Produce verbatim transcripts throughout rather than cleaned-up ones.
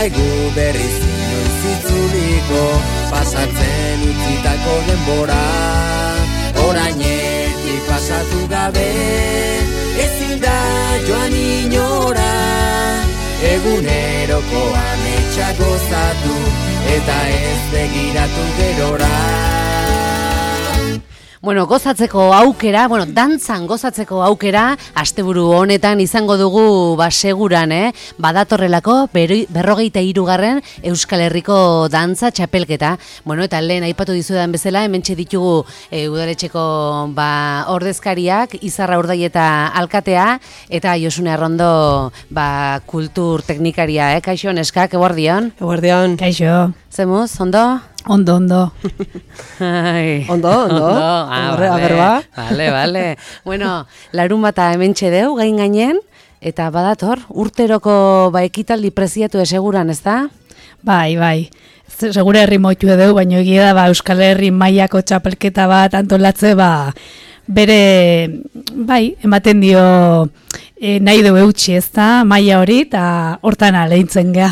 zaigu berriz inoiz itzuliko, pasatzen utzitako denbora, orainetik pasatu gabe, ezin da joan inora, eguneroko ametsa gozatu, eta ez begiratu gerora. Bueno, gozatzeko aukera, bueno, dantzan gozatzeko aukera, asteburu honetan izango dugu ba seguran, eh? Badatorrelako berrogeita hirugarren Euskal Herriko dantza txapelketa. Bueno, eta lehen aipatu dizudan bezala, hementxe ditugu e, udaletxeko ba ordezkariak, Izarra Urdaieta alkatea eta Josune Arrondo ba kultur teknikaria, eh? Kaixo neskak, eguerdion. Eguerdion. Kaixo. Zemuz, ondo? Ondo, ondo. Ai. Ondo, ondo. Ondo, ah, Horre, vale, aberba. vale, vale. Bueno, larun bata hementxe deu, gain gainen, eta badator, urteroko ba, ekitaldi preziatu eseguran, ez da? Bai, bai. Segure herri moitu edeu, baina egia da ba, Euskal Herri mailako txapelketa bat antolatze, ba, bere, bai, ematen dio e, nahi du eutxi, ez da, maila hori, eta hortan aleintzen gea.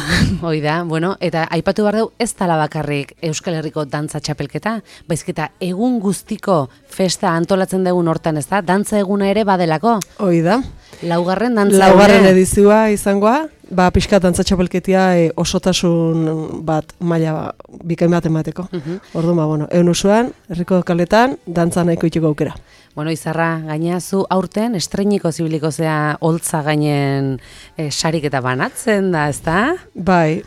Hoi da, bueno, eta aipatu behar dugu ez dala bakarrik Euskal Herriko dantza txapelketa, baizketa egun guztiko festa antolatzen dugun hortan, ez da, dantza eguna ere badelako. Hoi da. Laugarren dantza Laugarren edizioa izangoa, ba, pixka dantza txapelketia e, osotasun bat maila bikain bat emateko. Uh -huh. Orduan, ba, bueno, egun usuan, herriko kaletan, dantza nahiko itxiko aukera. Bueno, Izarra, gaina zu aurten estreiniko zibiliko zea holtza gainen e, sarik eta banatzen da, ez da? Bai,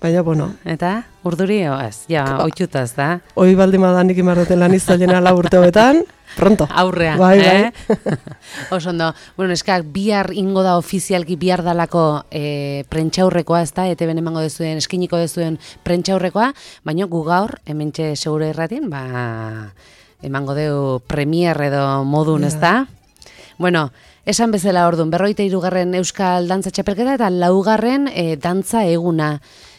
baina, bueno. Eta, urduri, o, ez, ja, oituta, ez da? Hoi baldin badanik imarroten lan izalena lau urte hobetan, pronto. Aurrea, bai, eh? bai. Osondo, bueno, eskak, bihar ingo da ofizialki bihar dalako e, prentxaurrekoa, ez da? Ete ben emango dezuen, eskiniko dezuen prentxaurrekoa, baina gu gaur, hementxe segure irratin, ba, emango deu premier edo modun, ez da? Bueno, esan bezala orduan, berrogeita hirugarren Euskal Dantza Txapelketa eta laugarren e, dantza eguna.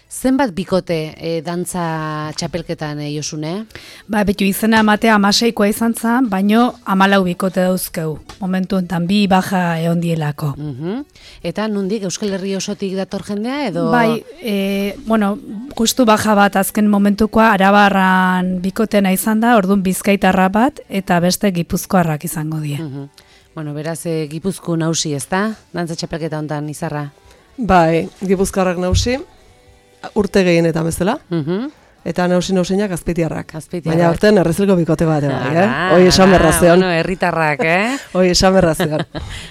Zenbat bikote e, dantza txapelketan, e, Josune? Ba, betu izena ematea amaseikoa izan zen, baino amalau bikote dauzkeu. Momentu enten bi baja egon dielako. Uh -huh. Eta nondik Euskal Herri osotik dator jendea edo? Bai, e, bueno, justu baja bat azken momentukoa Arabarran bikotena izan da, orduan Bizkaitarra bat eta beste Gipuzkoarrak izango die. Uh -huh. Bueno, beraz, e, Gipuzko nausi, ez da? Dantza txapelketa hontan, Izarra? Bai, Gipuzkoarrak nausi. Urte gehienetan bezala, uh -huh. eta nausi nausinak azpeitiarrak. Azpeitiarrak. Baina urten errezilko bikote bat, bai, eh? Hoi esan berrazion. Bueno, herritarrak, eh? Hoi esan berrazion.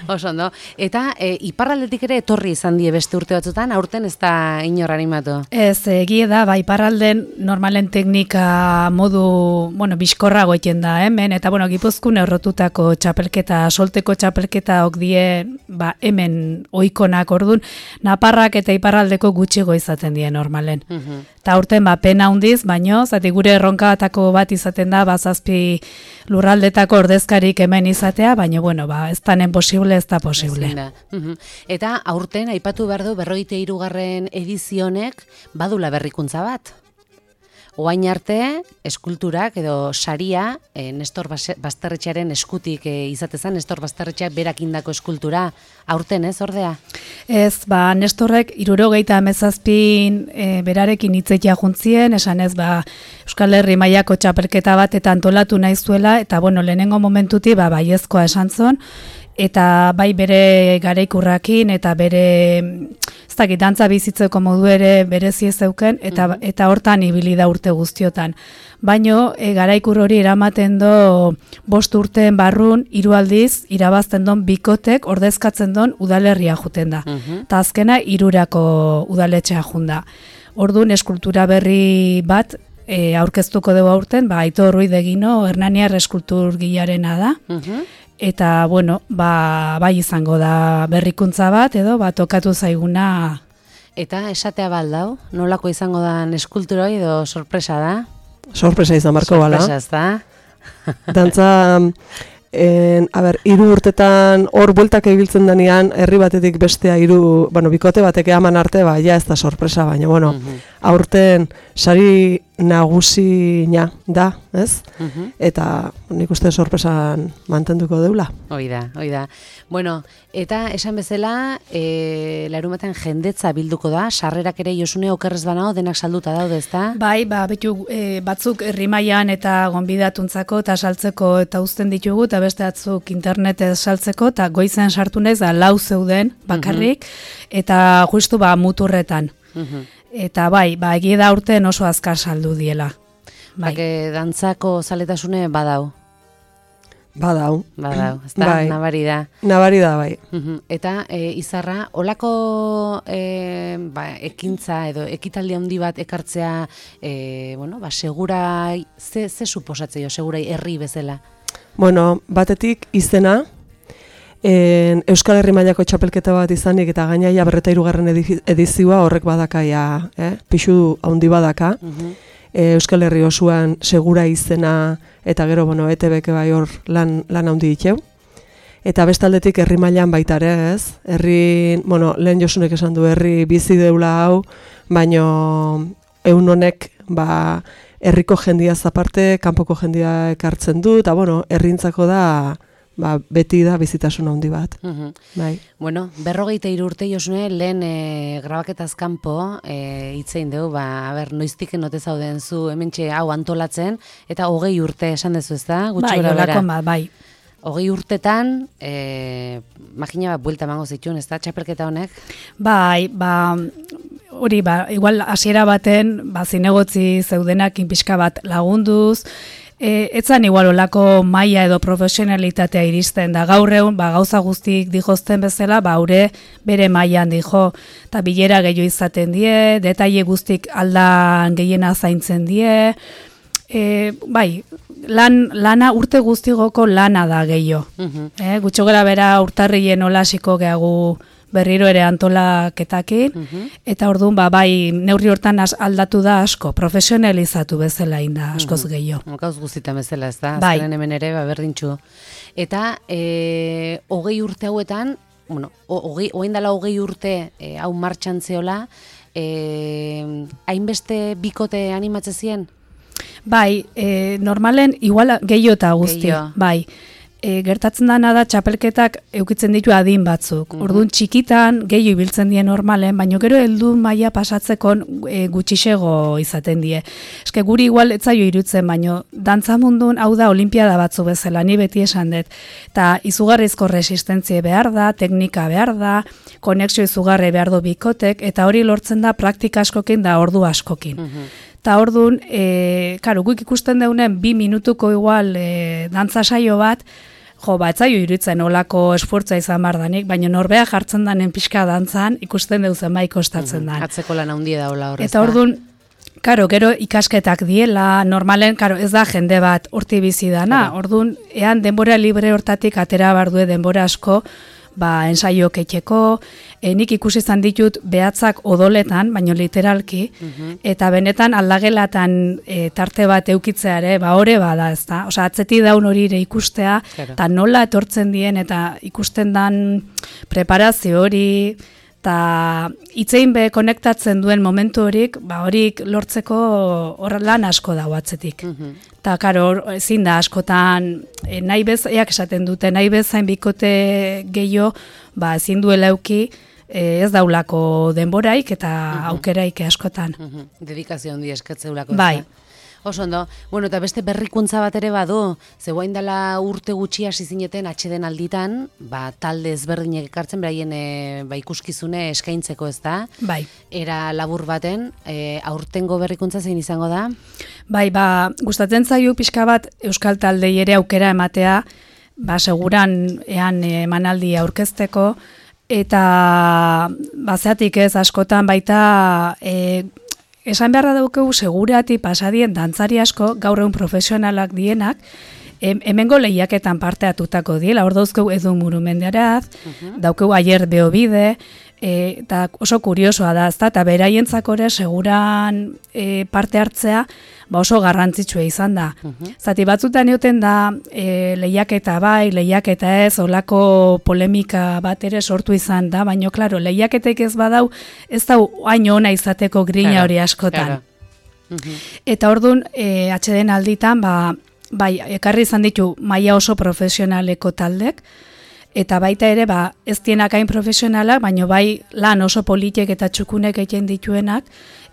Oso ondo. Eta e, iparraldetik ere etorri izan die beste urte batzutan, aurten ez da inor animatu? Ez, egie da, ba, iparralden normalen teknika modu, bueno, bizkorra goiten da, hemen, eta, bueno, Gipuzkoan errotutako txapelketa, solteko txapelketa ok die, ba, hemen oikonak ordun, Naparrak eta iparraldeko gutxigo izaten die normalen. Uh -huh. Ta urten, ba, pena hundiz, baino, zati gure erronkatako bat izaten da, bazazpi lurraldetako ordezkarik hemen izatea, baina, bueno, ba, ez tanen posible, ez da posible. Uh -huh. Eta aurten, aipatu behar du, berrogeita hirugarren edizionek badula berrikuntza bat. Oain arte, eskulturak edo saria, e, Nestor Basterretxearen eskutik e, izatezan, Nestor Basterretxeak berak indako eskultura, aurten ez, ordea? Ez, ba, Nestorrek hirurogeita hamazazpin e, berarekin hitzetia juntzien, esan ez, ba, Euskal Herri mailako txapelketa bat eta antolatu nahi zuela, eta, bueno, lehenengo momentuti, ba, baiezkoa esan zon, eta bai bere garaikurrakin eta bere ez dakit dantza bizitzeko modu ere berezi zeuken eta mm-hmm. eta hortan ibili da urte guztiotan. Baino e, garaikur hori eramaten do bost urteen barrun hiru aldiz irabazten don bikotek ordezkatzen don udalerria juten da. Mm-hmm. Ta azkena hirurako udaletxea junda. Orduan eskultura berri bat e, aurkeztuko dugu aurten, ba Aitor Ruiz de Gino Hernaniar eskulturgilarena da. Mm-hmm. Eta, bueno, ba, bai izango da berrikuntza bat, edo, ba, tokatu zaiguna. Eta esatea baldau, nolako izango da eskultura edo sorpresa da? Sorpresa izan marko bala. Sorpresa ez da? Dantza, en, a ber, hiru urtetan hor bueltak ibiltzen denean, herri batetik bestea hiru, bueno, bikote batek eman arte, ba, ja ez da sorpresa, baina, bueno, mm-hmm. aurten sari nagusina da, ez? Mhm. Eta nik uste sorpresan mantenduko deula. Hoi da, hoi da. Bueno, eta esan bezala, e, larumaten jendetza bilduko da, sarrerak ere Josune okerrez banao denak salduta daude, ezta? Bai, ba, betu, e, batzuk herrimailan eta gonbidatuntzako eta saltzeko eta uzten ditugu, eta beste batzuk internetez saltzeko, eta goizen sartu naiz da lau zeuden bakarrik, eta justu ba muturretan. Mhm. Eta bai, ba, egia da urten oso azkar saldu diela. Bai. Bake dantzako zaletasune badau, Badau. badau, ezta? Bai. Nabari da. Nabari da, bai. Mhm. Eta e, Izarra, olako e, ba, ekintza edo ekitaldi handi bat ekartzea, e, bueno, ba, segurai, ze, ze suposatzeio, segurai herri bezala? Bueno, batetik izena, en, Euskal Herri mailako txapelketa bat izanik eta gainaia berreta hirugarren edizioa horrek badakaia, eh? Pixu handi badaka. Mhm. E, Euskal Herri osoan segura izena eta gero, bueno, E T Bek bai hor lan, lan handi diteu. Eta bestaldetik herri mailan baita ere, ez? Herri, bueno, lehen Josunek esan du herri bizi deula hau, baino eun honek, ba, herriko jendia zaparte, kanpoko jendia ekartzen du, eta, bueno, herrintzako da, ba, beti da bizitasun handi bat. Mhm. Bai. Bueno, berrogeita hiru urte Josune, lehen e, grabaketaz kanpo e, hitzein dugu, ba, a ber, noiztik enote zauden zu hementxe hau antolatzen, eta hogei urte esan dezu, ez da? Gutxi Bai, gora bera. olako bat, bai. Hogei urtetan, e, magina bat buelta emango zituen, ez da, txapelketa honek? Bai, ba, hori, ba, igual hasiera baten, ba, zinegotzi zeudenak inpixka bat lagunduz, E, etzan igual olako maila edo profesionalitatea iristen da gaur egun, ba, gauza guztik dijozten bezala, ba, haure bere mailan dijo, eta bilera gehiago izaten die, detaile guztik aldan gehiena zaintzen die, e, bai, lan, lana urte guztigoko lana da gehiago. Mhm. E, gutxo gara bera urtarrien olasiko gehagu berriro ere antolaketakin, Mhm. eta orduan, ba, bai, neurri hortan az- aldatu da asko, profesionalizatu bezala inda askoz gehiago. Gauz guztitan bezala, ez da? Bai. Azkenen hemen ere, ba, berdintxu. Eta, e, hogei urte hauetan, bueno, ho- hogei, hogein dela hogei urte e, hau martxan zeola, e, hainbeste bikote animatze zien? Bai, e, normalen igual gehiago eta guzti, Gehiago. bai. E, gertatzen dana da txapelketak eukitzen ditu adin batzuk. Mhm. Orduan txikitan gehiago ibiltzen die normalen, baina gero heldu maila pasatzeko e, gutxixego izaten die. Eske guri igual etzaio irutzen, baina dantza mundun hau da olimpiada batzu bezala, ni beti esan dut. Eta izugarrizko resistentzia behar da, teknika behar da, konexio izugarri behar du bikotek, eta hori lortzen da praktika askokin da ordu askokin. Mhm. Eta orduan, e, karo, guk ikusten deunen bi minutuko igual e, dantza saio bat, jo, ba, etzaio iruditzen olako esfortza izan bardanik, baina norbea jartzen danen pixka dantzan, ikusten deuzen bai kostatzen dan. Atzeko lan handia daula horrez. Eta orduan, karo, gero ikasketak diela, normalen, karo, ez da jende bat horti bizi dana, orduan, ean denbora libre hortatik atera bardue denbora asko, ba, ensaio ketxeko, e, nik ikusi izan ditut behatzak odoletan, baino literalki, eta benetan aldagelatan e, tarte bat eukitzea ere, ba, ore bada, ez da? Osa, atzeti daun hori ere ikustea, Claro. eta nola etortzen dien, eta ikusten dan preparazio hori, eta hitzein be konektatzen duen momentu horik, ba, horik lortzeko hor lan asko dago atzetik. Eta, karo, ezin da askotan, e, nahi bez, eak esaten dute, nahi bezain bikote gehiago, ba, ezin duela euki, e, ez daulako denboraik eta aukeraik askotan. Mhm. Dedikazio handi eskatzeulako. Bai. ezta? Oso ondo. Bueno, eta beste berrikuntza bat ere badu, ze guain dela urte gutxi hasi zineten atxeden alditan, ba, talde ezberdinek ekartzen, beraien e, ba, ikuskizune eskaintzeko, ez da? Bai. Era labur baten, e, aurtengo berrikuntza zein izango da? Bai, ba, gustatzen zaio pixka bat euskal taldei ere aukera ematea, ba, seguran ean emanaldi aurkezteko, eta bazeatik ez askotan baita e, esan beharra daukegu segurati pasadien dantzari asko gaur egun profesionalak dienak, em, hemengo lehiaketan parte atutako diela, hor dauzkeu Edu Murumendearaz, daukeu Aier Beobide, e, eta oso kuriosoa da, ezta, eta beraientzako ere seguran e, parte hartzea, ba oso garrantzitsua izan da. Zati batzutan egoten da e, lehiaketa bai, lehiaketa ez, olako polemika bat ere sortu izan da, baina, klaro, lehiaketek ez badau, ez da hain ona izateko grina Claro, hori askotan. claro. Eta orduan, e, atxeden alditan, ba, bai, ekarri izan ditu maila oso profesionaleko taldek, eta baita ere, ba, ez dienak hain profesionalak, baina bai lan oso politek eta txukunek egiten dituenak,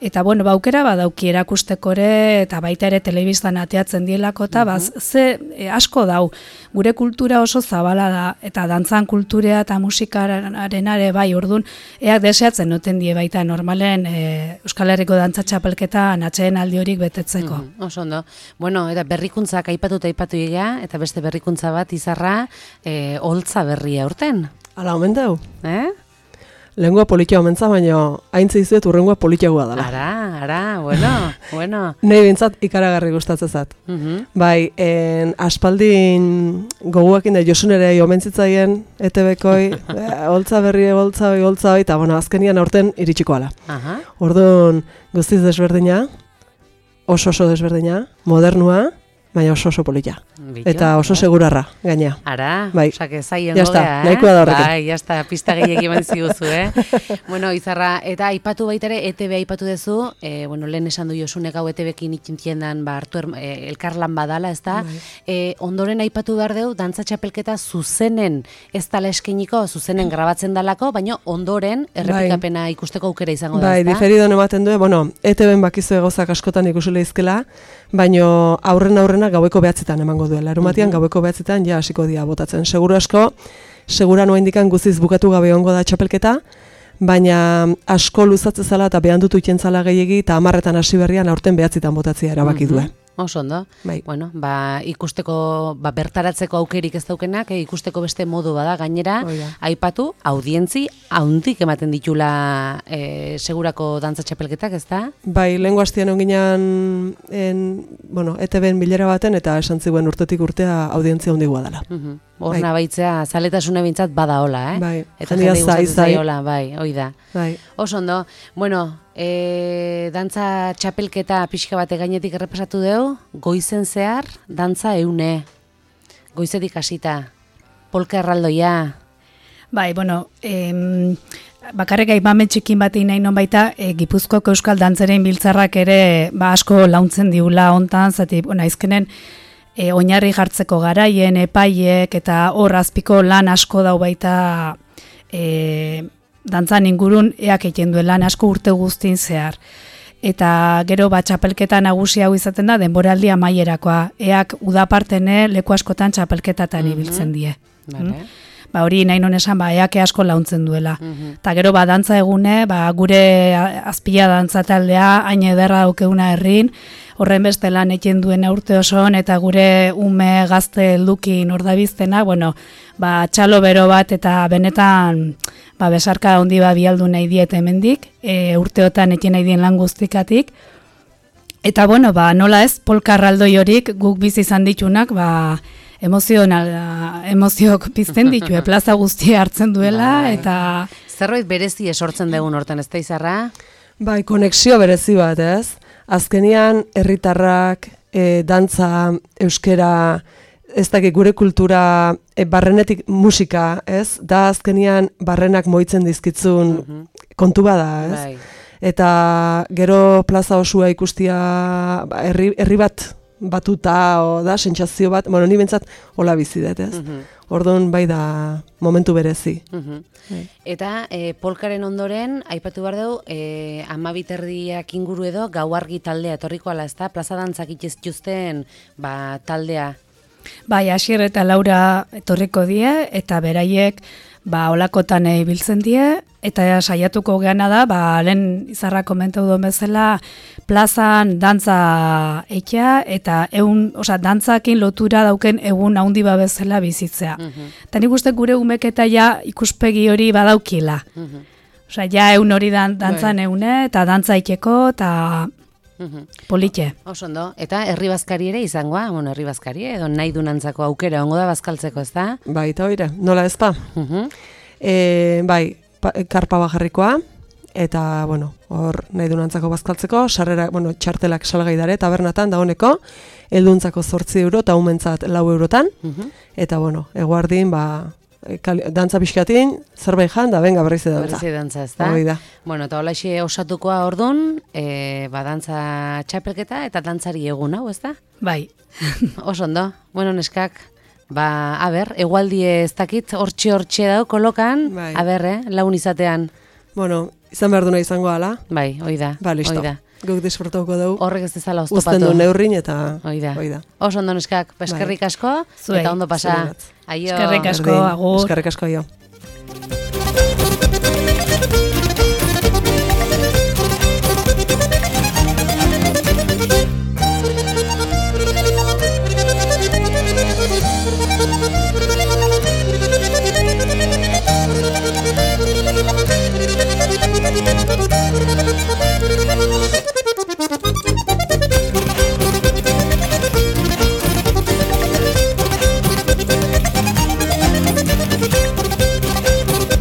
eta bueno, ba, aukera badauki erakusteko ere, eta baita ere telebistan ateatzen dielako, eta ba, ze e, asko dau, gure kultura oso zabala da, eta dantzan kulturea eta musikarenare bai, orduan, eak deseatzen noten die baita normalen e, Euskal Herriko dantza txapelketan atxeen aldi horik betetzeko. Mm -hmm. Oso ondo. Bueno, eta berrikuntzak aipatu eta aipatu egia, eta beste berrikuntza bat izarra, e, holtza berria urten. Ala, omen dau. Eh? Lengua politia omentza, baina haintze izuet urrengua politiagoa dela. Ara, ara, bueno, bueno. Nei bintzat ikaragarri gustatzen zat. Uh -huh. Bai, en, aspaldin goguakin da Josunere omentzitzaien E T B-koi, holtza berri, holtza hoi, holtza hoi, eta bueno, azkenian aurten iritsiko ala. Aha. Orduan, guztiz desberdina, oso oso desberdina, modernua, baina oso oso polita. Bitu, Eta oso segurarra, gaina. Ara, bai. Osak zaien Jasta, gogea, eh? nahikoa da horrekin. Bai, jasta, pista gehiagi eman ziguzu, eh? Bueno, Izarra, eta aipatu baitere, E T B aipatu dezu, eh, bueno, lehen esan du Josunek hau E T B-kin itxintiendan, ba, hartu er, eh, elkarlan badala, ez da? Bai. Eh, ondoren aipatu behar deu, dantza txapelketa zuzenen ez dala eskeniko, zuzenen grabatzen dalako, baina ondoren errepikapena ikusteko aukera izango da, Bai, ez da? diferidon ematen du, bueno, E T B-en bakizu egozak askotan ikusile izkela, baina aurren aurrena gaueko behatzitan emango duela. Larumatian uh -huh. gaueko behatzitan ja hasiko dia botatzen. Seguru asko, segura noa indikan guztiz bukatu gabe ongo da txapelketa, baina asko luzatzen zala eta behan dutu ikentzala gehiegi eta amarretan hasi berrian aurten behatzitan botatzea erabaki due. Oso ondo. Bai. Bueno, ba, ikusteko, ba, bertaratzeko aukerik ez daukenak, eh, ikusteko beste modu bada gainera, Oida. aipatu, audientzi, haundik ematen ditula eh, segurako dantza txapelketak, ez da? Bai, lehengo hastian onginan, en, bueno, E T B-en bilera baten, eta esan ziguen urtetik urtea audientzia handigoa dela. Uh-huh. Horna baitzea, zaletasune bintzat bada hola, eh? Bai, eta jendia jende zai, gustatzen zai. zaiola, bai, hoi da. Bai. Oso ondo, bueno, e, dantza txapelketa pixka bate gainetik errepasatu deu, goizen zehar, dantza eune, goizetik hasita, polka erraldoia. Bai, bueno, em, bakarrik aipamen txikin bat egin nahi non baita, e, Gipuzkoako Euskal Dantzaren biltzarrak ere ba, asko launtzen diula hontan, zati, bueno, aizkenen, E, oinarri jartzeko garaien, epaiek, eta hor azpiko lan asko dau baita e, dantzan ingurun eak egiten duen lan asko urte guztin zehar. Eta gero bat txapelketa nagusi hau izaten da denboraldi amaierakoa. Eak udapartene leku askotan txapelketatan ibiltzen die. Vale. Mm? Ba hori nahi non esan, ba, eake asko launtzen duela. Mhm. Eta gero ba dantza egune, ba, gure azpila dantza taldea, hain ederra daukeuna herrin, horren beste lan egiten duen urte osoan, eta gure ume gazte heldukin ordabiztena, bueno, ba, txalo bero bat, eta benetan ba, besarka handi ba, bialdu nahi diet hemendik, e, urteotan egiten nahi dien lan guztikatik. Eta bueno, ba, nola ez, polka erraldoi horik guk bizi izan ditunak, ba, emozional, emoziok pizten ditu, plaza guztia hartzen duela, Bai. eta... Zerbait berezi esortzen dugun hortan, ez da Izarra? Bai, konexio berezi bat, ez? Azkenian, herritarrak, e, dantza, euskera, ez dakit gure kultura, e, barrenetik musika, ez? Da azkenian barrenak moitzen dizkitzun Mhm. kontu bada, ez? Bai. Eta gero plaza osua ikustia, ba, herri, herri bat batuta, o da, sentsazio bat, bueno, ni bentsat hola bizi dut, ez? Mhm. Orduan bai da momentu berezi. Mhm. Bai. Eta e, polkaren ondoren, aipatu behar dugu, e, amabiterdiak inguru edo gau argi taldea etorriko ala, ez da? Plaza dantzak itxeztuzten ba, taldea. Bai, Asier eta Laura etorriko die, eta beraiek ba, olakotan ibiltzen die, eta saiatuko geana da, ba, lehen Izarra komentau duen bezala, plazan dantza eitea, eta egun, osea, dantzakin lotura dauken egun haundi ba bezala bizitzea. Mhm. Eta nik uste gure umeketa ja ikuspegi hori badaukila. Mhm. Osea, ja egun hori dan, dantzan Bai. eune, eta dantza eiteko, eta Mhm. politxe. Oso ondo. Eta herri bazkari ere izangoa, bueno, herri bazkari edo nahi dunantzako aukera ongo da bazkaltzeko, ez da? Bai, eta oire, nola ez da? Mhm. E, bai, pa, karpa bajarrikoa, eta, bueno, hor nahi dunantzako bazkaltzeko, sarrera, bueno, txartelak salgai dare, tabernatan dagoneko, helduntzako zortzi euro, eta umentzat lau eurotan, Mhm. eta, bueno, eguardin, ba, kali, dantza pixkatin, zerbait jan, da benga berriz dantza. Berriz dantza, ez da? Hoi da. Bueno, eta holaxe osatukoa ordun, e, ba, dantza txapelketa eta dantzari egun, hau, ez da? Bai. Oso ondo. Bueno, neskak, ba, a ber, egualdi ez dakit, hortxe-hortxe dau, kolokan, Bai. a ber, eh, lagun izatean. Bueno, izan behar duna izango ala. Bai, hoi da. Ba, listo. Hoi da. Guk disfrutauko dugu. Horrek ez dezala oztopatu. Uzten du neurrin eta Hoi da. hoi da. Oso ondo neskak, eskerrik asko, Zuei. eta ondo pasa. Zuei. Aio. Eskerrik asko, Berdin. agur. Eskerrik asko, aio.